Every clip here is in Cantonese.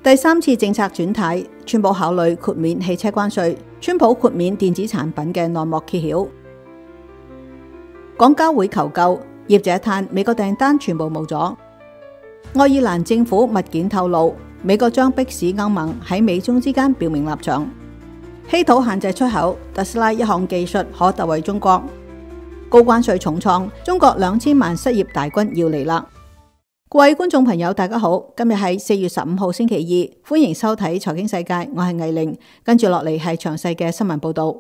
第三次政策轉軚，川普考慮豁免汽車關稅，川普豁免電子產品嘅內幕揭曉。港交會求救，業者嘆美國訂單全部冇咗。愛爾蘭政府密件透露，美國將迫使歐盟喺美中之間表明立場。稀土限制出口，特斯拉一項技術可特惠中國。高關稅重創，中國2000萬失業大軍要嚟啦！各位觀眾朋友，大家好，今日係4月15號星期二，歡迎收睇財經世界，我係藝玲，跟住落嚟係詳細嘅新聞報道。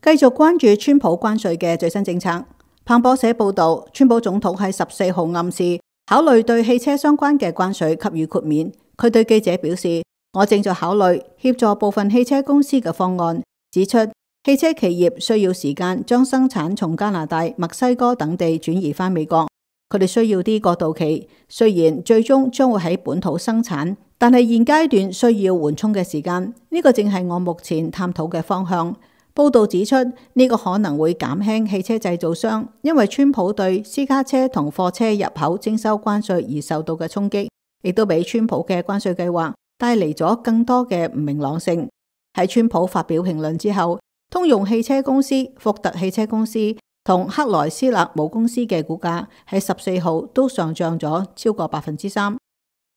繼續關注川普關稅嘅最新政策。彭博社報道，川普總統喺14號暗示考慮對汽車相關嘅關稅給予豁免。佢對記者表示，我正在考慮協助部分汽車公司嘅方案，指出汽車企業需要時間將生產從加拿大、墨西哥等地轉移返美國，佢哋需要啲過渡期。雖然最終將會喺本土生產，但係現階段需要緩衝嘅時間，呢個正係我目前探討嘅方向。報道指出，呢個可能會減輕汽車製造商因為川普對私家車同貨車入口徵收關稅而受到嘅衝擊，亦都俾川普嘅關稅計劃帶嚟咗更多嘅唔明朗性。喺川普發表評論之後，通用汽車公司、福特汽車公司同克萊斯勒母公司嘅股價喺14號都上漲咗超過3%。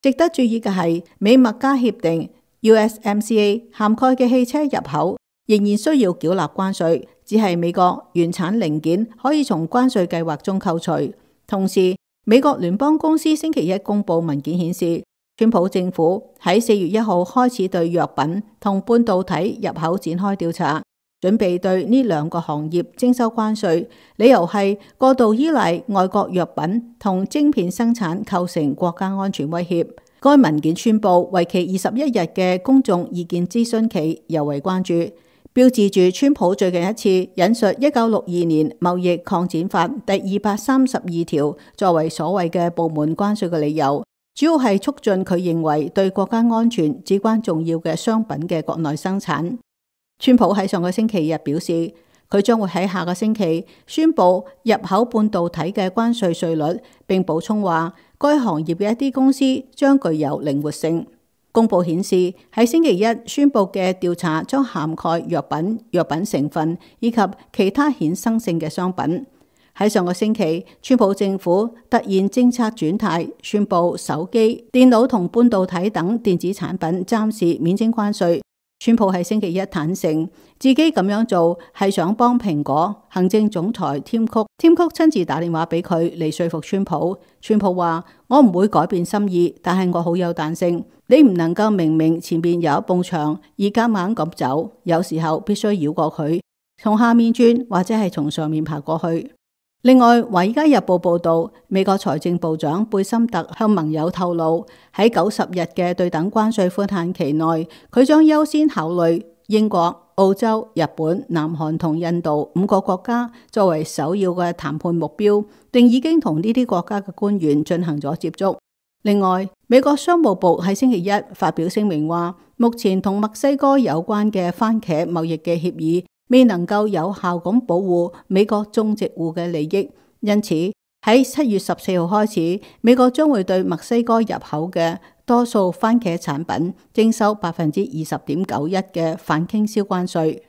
值得注意嘅係，美墨加協定 USMCA 涵蓋嘅汽車入口仍然需要繳納關稅，只係美國原產零件可以從關稅計劃中扣除。同時，美國聯邦公司星期一公布文件顯示，川普政府喺4月1號開始對藥品同半導體入口展開調查，準備對呢兩個行業徵收關稅，理由係過度依賴外國藥品同晶片生產構成國家安全威脅。該文件宣布為期21日嘅公眾意見諮詢期尤為關注，標誌住川普最近一次引述1962年貿易擴展法第232條作為所謂嘅部門關稅嘅理由，主要係促進佢認為對國家安全至關重要嘅商品嘅國內生產。川普喺上個星期日表示，佢將會喺下個星期宣布入口半導體嘅關稅稅率，並補充話該行業嘅一啲公司將具有靈活性。公佈顯示，喺星期一宣布嘅調查將涵蓋藥品、藥品成分以及其他衍生性嘅商品。喺上個星期，川普政府突然政策轉軚，宣布手機、電腦同半導體等電子產品暫時免徵關稅。川普喺星期一坦承自己咁樣做係想幫蘋果行政總裁添曲親自打電話俾佢嚟說服川普。川普話：我唔會改變心意，但係我好有彈性。你唔能夠明明前面有一埲牆而夾硬咁走，有時候必須繞過佢，從下面轉或者係從上面爬過去。另外，《華爾街日報》報道，美國財政部長貝森特向盟友透露，喺90日嘅對等關稅寬限期內，佢將優先考慮英國、澳洲、日本、南韓同印度5個國家作為首要嘅談判目標，並已經同呢啲國家嘅官員進行咗接觸。另外，美國商務部喺星期一發表聲明話，目前同墨西哥有關嘅番茄貿易嘅協議未能夠有效咁保護美國種植戶嘅利益，因此喺7月14號開始，美國將會對墨西哥入口嘅多數番茄產品徵收20.91%嘅反傾銷關稅。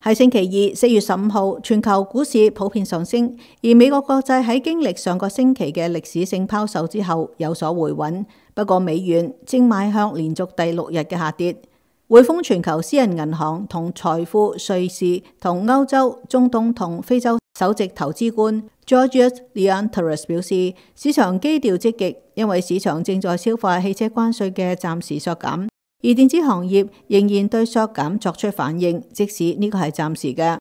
喺星期二4月15號，全球股市普遍上升，而美國國債喺經歷上個星期嘅歷史性拋售之後有所回穩，不過美元正邁向連續第6日嘅下跌。匯豐全球私人銀行同財富瑞士同歐洲、中東同非洲首席投資官 Georgios Leontaros 表示，市場基調積極，因為市場正在消化汽車關稅嘅暫時削減，而電子行業仍然對削減作出反應，即使呢個係暫時嘅。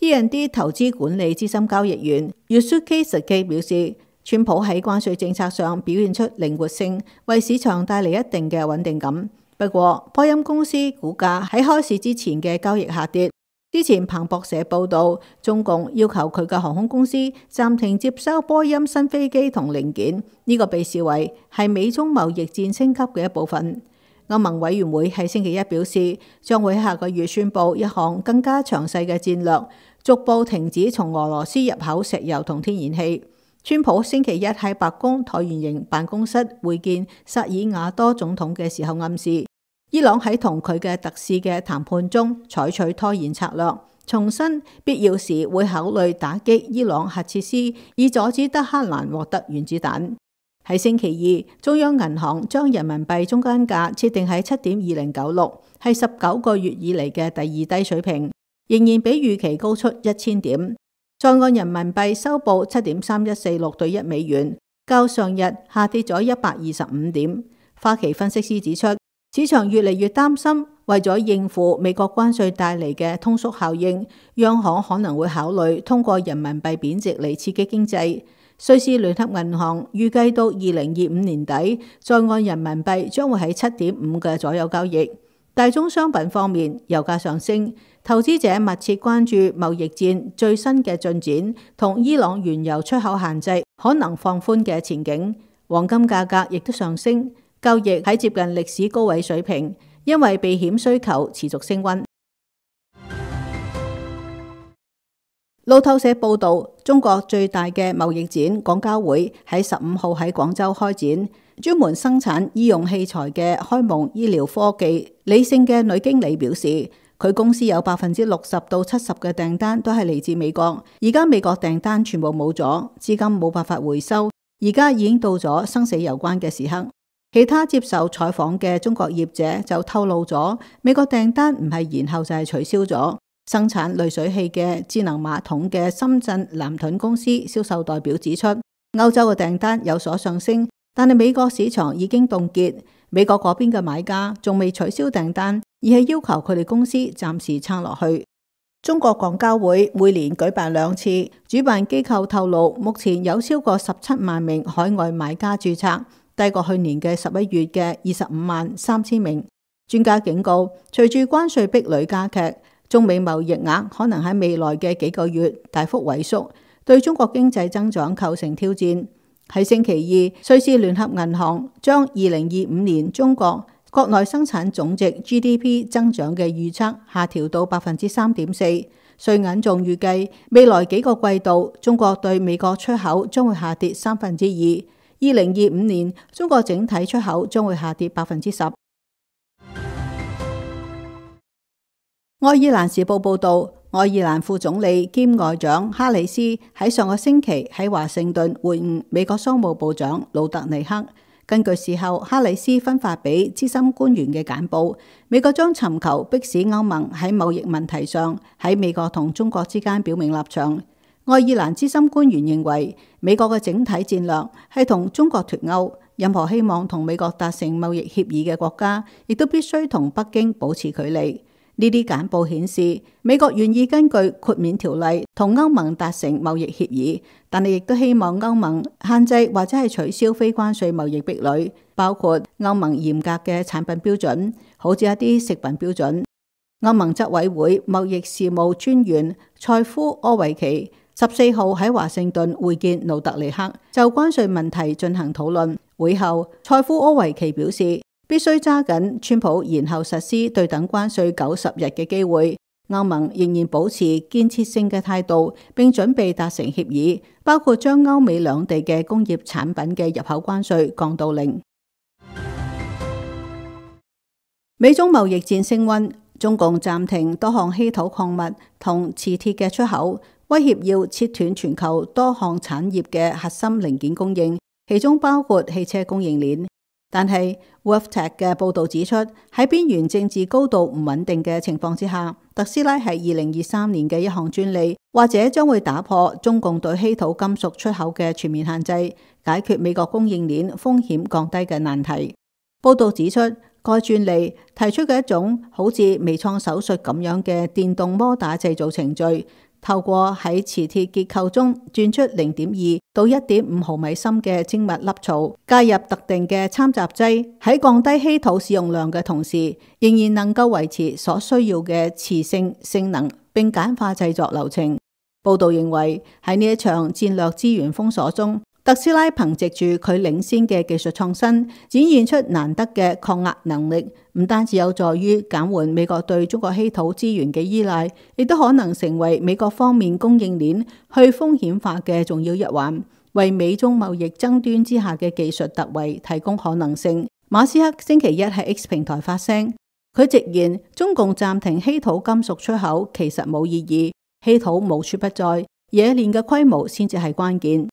E&D 投資管理資深交易員 Yusuke Saki 表示，川普喺關稅政策上表現出靈活性，為市場帶嚟一定嘅穩定感。不過，波音公司股價喺開市之前嘅交易下跌。之前彭博社報道，中共要求佢嘅航空公司暫停接收波音新飛機同零件，呢個被視為係美中貿易戰升級嘅一部分。歐盟委員會喺星期一表示，將會喺下個月宣布一項更加詳細嘅戰略，逐步停止從俄羅斯入口石油同天然氣。川普星期一喺白宮橢圓形辦公室會見薩爾瓦多總統嘅時候暗示，伊朗喺同佢嘅特使嘅談判中採取拖延策略，重申必要時會考慮打擊伊朗核設施，以阻止德黑蘭獲得原子彈。喺星期二，中央銀行將人民幣中間價設定喺7.2096，係19個月以嚟嘅第二低水平，仍然比預期高出1000點。在岸人民幣收報7.3146對1美元，較上日下跌咗125點。花旗分析師指出，市場越嚟越擔心，為咗應付美國關稅帶嚟嘅通縮效應，央行可能會考慮通過人民幣貶值嚟刺激經濟。瑞士聯合銀行預計到2025年底，在岸人民幣將會喺7.5嘅左右交易。大宗商品方面，油價上升，投資者密切關注貿易戰最新嘅進展同伊朗原油出口限制可能放寬嘅前景。黃金價格亦都上升，交易喺接近歷史高位水平，因為避險需求持續升溫。路透社報道，中國最大嘅貿易展廣交會喺15號喺廣州開展，專門生產醫用器材嘅開蒙醫療科技理性嘅女經理表示，佢公司有60%到70%嘅訂單都係嚟自美國，而家美國訂單全部冇咗，資金冇辦法回收，而家已經到咗生死攸關嘅時刻。其他接受採訪嘅中國業者就透露咗，美國訂單唔係延後就係取消咗。生產濾水器嘅智能馬桶嘅深圳南屯公司銷售代表指出，歐洲嘅訂單有所上升，但係美國市場已經凍結，美國嗰邊嘅買家仲未取消訂單，而係要求佢哋公司暫時撐落去。中國廣交會每年舉辦2次，主辦機構透露，目前有超過17萬名海外買家註冊，低過去年嘅11月嘅25萬3000名。專家警告，隨住關稅壁壘加劇，中美貿易額可能喺未來嘅幾個月大幅萎縮，對中國經濟增長構成挑戰。喺星期二，瑞士聯合銀行將2025年中國國內生產總值 GDP 增長嘅預測下調到3.4%。瑞銀仲預計未來幾個季度，中國對美國出口將會下跌2%。2025年，中國整體出口將會下跌10%。愛爾蘭時報報道，愛爾蘭副總理兼外長哈里斯喺上個星期喺華盛頓會晤美國商務部長魯特尼克。根據事後哈里斯分發俾資深官員嘅簡報，美國將尋求迫使歐盟喺貿易問題上喺美國同中國之間表明立場。愛爾蘭資深官員認為，美國嘅整體戰略係同中國脫鈎，任何希望同美國達成貿易協議嘅國家，亦都必須同北京保持距離。呢啲簡報顯示，美國願意根據豁免條例同歐盟達成貿易協議，但係亦都希望歐盟限制或者係取消非關稅貿易壁壘，包括歐盟嚴格嘅產品標準，好似一啲食品標準。歐盟執委會貿易事務專員塞夫柯維奇14號喺華盛頓會見魯特尼克，就關稅問題進行討論。會後，塞夫柯維奇表示，必須揸緊川普延後實施對等關稅90日嘅機會。歐盟仍然保持建設性嘅態度，並準備達成協議，包括將歐美兩地嘅工業產品嘅入口關稅降到0。美中貿易戰升溫，中共暫停多項稀土礦物同磁鐵嘅出口，威脅要切斷全球多項產業嘅核心零件供應，其中包括汽車供應鏈。但係 WorldTech 嘅報導指出，喺邊緣政治高度唔穩定嘅情況之下，特斯拉喺2023年嘅一項專利，或者將會打破中共對稀土金屬出口嘅全面限制，解決美國供應鏈風險降低嘅難題。報導指出，該專利提出嘅一種好似微創手術咁樣嘅電動摩打製造程序，透過喺磁鐵結構中鑽出0.2到1.5毫米深嘅精密凹槽，加入特定嘅摻雜劑，喺降低稀土使用量嘅同時，仍然能夠維持所需要嘅磁性性能，並簡化製作流程。報道認為，喺呢一場戰略資源封鎖中，特斯拉憑藉住佢領先嘅技術創新，展現出難得嘅抗壓能力，唔單止有助於減緩美國對中國稀土資源嘅依賴，亦都可能成為美國方面供應鏈去風險化嘅重要一環。為美中貿易爭端之下嘅技術突圍提供可能性。馬斯克星期一喺 X 平台發聲，佢直言中共暫停稀土金屬出口其實冇意義，稀土無處不在，冶煉嘅規模先至係關鍵。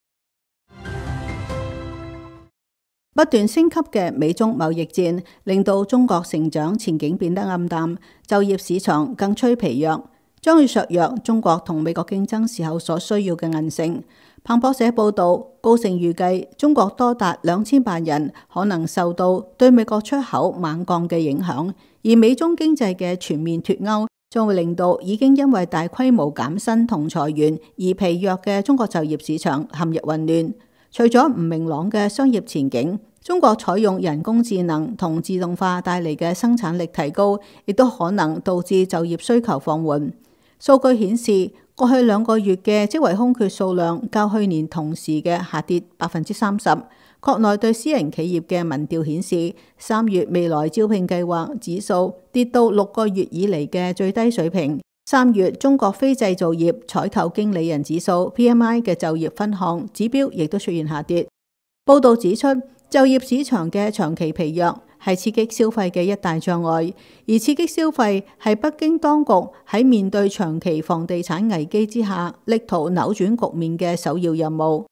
不斷升級嘅美中貿易戰令到中國成長前景變得暗淡，就業市場更趨疲弱，將會削弱中國同美國競爭時候所需要嘅韌性。彭博社報道，高盛預計中國多達2000萬人可能受到對美國出口猛降嘅影響，而美中經濟嘅全面脫鈎將會令到已經因為大規模減薪同裁員而疲弱嘅中國就業市場陷入混亂。除咗唔明朗嘅商業前景，中國採用人工智能同自動化帶嚟嘅生產力提高，亦都可能導致就業需求放緩。數據顯示，過去2個月嘅職位空缺數量較去年同時嘅下跌30%。國內對私人企業嘅民調顯示，3月未來招聘計劃指數跌到6個月以嚟嘅最低水平。3月中國非製造業採購經理人指數 PMI 嘅就業分項指標亦都出現下跌。報道指出，就業市場嘅長期疲弱係刺激消費嘅一大障礙，而刺激消費係北京當局喺面對長期房地產危機之下力圖扭轉局面嘅首要任務。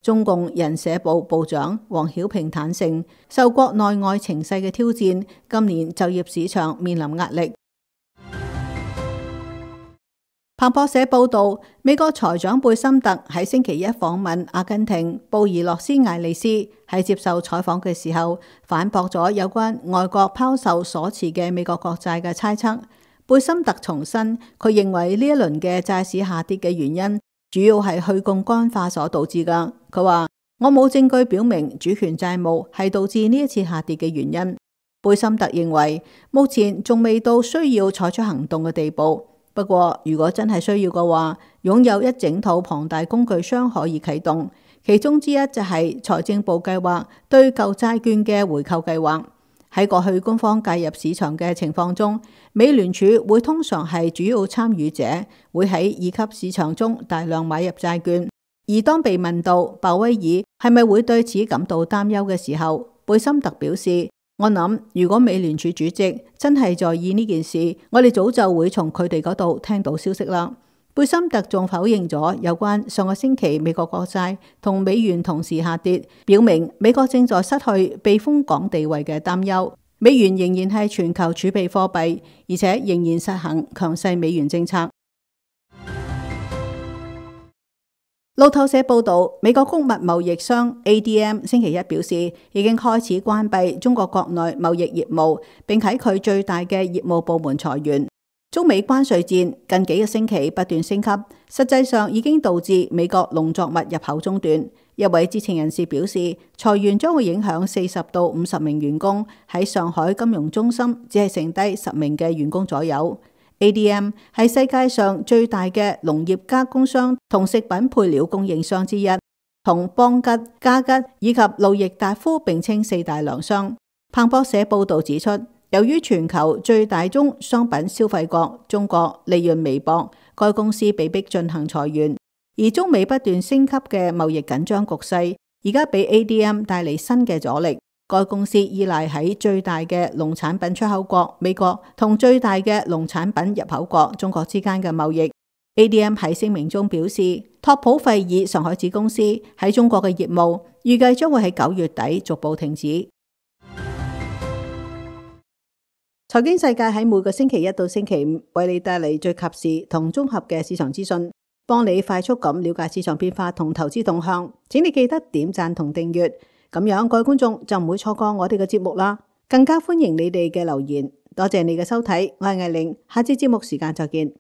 中共人社部部長王曉平坦承，受國內外情勢嘅挑戰，今年就業市場面臨壓力。彭博社報道，美國財長貝森特喺星期一訪問阿根廷布宜諾斯艾利斯，喺接受採訪嘅時候反駁咗有關外國拋售所持嘅美國國債嘅猜測。貝森特重申，佢認為呢一輪嘅債市下跌嘅原因主要係去槓桿化所導致㗎。佢話：我冇證據表明主權債務係導致呢一次下跌嘅原因。貝森特認為目前仲未到需要採取行動嘅地步。不過，如果真係需要嘅話，擁有一整套龐大工具箱可以啟動，其中之一就係財政部計劃對舊債券嘅回購計劃。喺過去官方介入市場嘅情況中，美聯儲會通常係主要參與者，會喺二級市場中大量買入債券。而當被問到鮑威爾係咪會對此感到擔憂嘅時候，貝森特表示：我諗，如果美聯儲主席真係在意呢件事，我哋早就會從佢哋嗰度聽到消息啦。貝森特仲否認咗有關上個星期美國國債同美元同時下跌，表明美國正在失去避風港地位嘅擔憂。美元仍然係全球儲備貨幣，而且仍然實行強勢美元政策。路透社報道，美國穀物貿易商 ADM 星期一表示，已經開始關閉中國國內貿易業務，並喺佢最大嘅業務部門裁員。中美關稅戰近幾個星期不斷升級，實際上已經導致美國農作物入口中斷。一位知情人士表示，裁員將會影響40到50名員工，喺上海金融中心只係剩低10名嘅員工左右。ADM 係世界上最大嘅農業加工商同食品配料供應商之一，同邦吉、嘉吉以及路易達夫並稱4大糧商。彭博社報道指出，由於全球最大宗商品消費國中國利潤微薄，該公司被迫進行裁員。而中美不斷升級嘅貿易緊張局勢，而家俾 ADM 帶嚟新嘅阻力。該公司依賴喺最大嘅農產品出口國美國同最大嘅農產品入口國中國之間嘅貿易。ADM 喺聲明中表示，托普費爾上海子公司喺中國嘅業務預計將會喺9月底逐步停止。財經世界喺每個星期一到星期五為你帶嚟最及時同綜合嘅市場資訊，幫你快速咁了解市場變化同投資動向。請你記得點讚同訂閱。咁樣各位觀眾就唔會錯過我哋嘅節目啦，更加歡迎你哋嘅留言。多謝你嘅收睇，我係艾玲，下次節目時間再見。